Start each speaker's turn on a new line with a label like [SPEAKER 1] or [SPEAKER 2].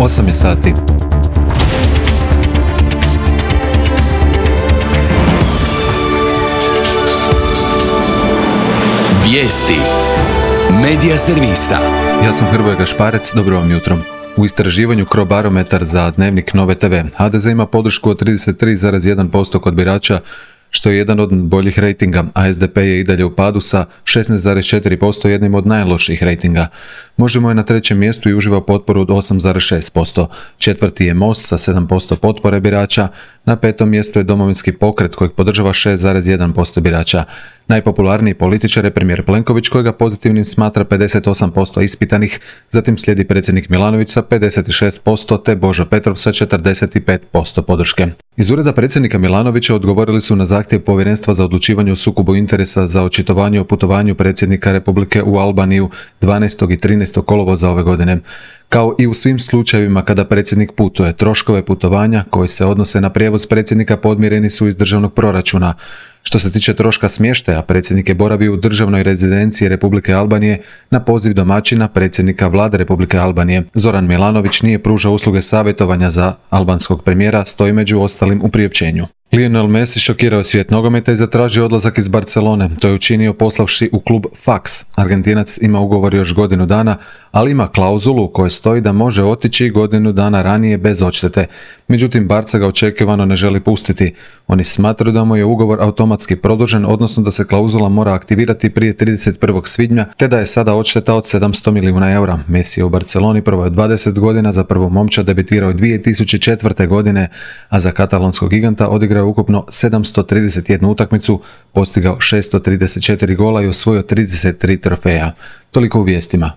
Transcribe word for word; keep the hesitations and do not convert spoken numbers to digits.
[SPEAKER 1] osam je sati.
[SPEAKER 2] Vijesti Medija servisa.
[SPEAKER 1] Ja sam Hrvoje Gašparec, dobro vam jutro. U istraživanju Crobarometar za Dnevnik Nove te ve, ha de ze ima podršku od trideset tri zarez jedan posto kod birača, što je jedan od boljih rejtinga, a es de pe je i dalje u padu sa šesnaest zarez četiri posto, jednim od najlošijih rejtinga. Možemo je na trećem mjestu i uživa potporu od osam zarez šest posto. Četvrti je Most sa sedam posto potpore birača, na petom mjestu je Domovinski pokret kojeg podržava šest zarez jedan posto birača. Najpopularniji političar je premijer Plenković kojega pozitivnim smatra pedeset osam posto ispitanih, zatim slijedi predsjednik Milanović sa pedeset šest posto te Božo Petrov sa četrdeset pet posto podrške. Iz ureda predsjednika Milanovića odgovorili su na zahtjev Povjerenstva za odlučivanje o sukobu interesa za očitovanje o putovanju predsjednika Republike u Albaniju dvanaestog i trinaestog kolovoza ove godine. Kao i u svim slučajevima kada predsjednik putuje, troškove putovanja koji se odnose na prijevoz predsjednika podmireni su iz državnog proračuna. Što se tiče troška smještaja, predsjednik je boravio u državnoj rezidenciji Republike Albanije na poziv domaćina predsjednika vlade Republike Albanije. Zoran Milanović nije pružao usluge savjetovanja za albanskog premijera, stoji među ostalim u priopćenju. Lionel Messi šokirao svijet nogometa i zatražio odlazak iz Barcelone. To je učinio poslavši u klub Fax. Argentinac ima ugovor još godinu dana, ali ima klauzulu u kojoj stoji da može otići godinu dana ranije bez odštete. Međutim, Barca ga očekivano ne želi pustiti. Oni smatraju da mu je ugovor automatski produžen, odnosno da se klauzula mora aktivirati prije trideset prvog svibnja, te da je sada odšteta od sedamsto milijuna eura. Messi je u Barceloni proveo dvadeset godina, za prvu momčad debitirao dvije tisuće četvrte. godine, a za katalonskog giganta odigrao ukupno sedamsto trideset jednu utakmicu, postigao šesto trideset četiri gola i osvojio trideset tri trofeja. Toliko u vijestima.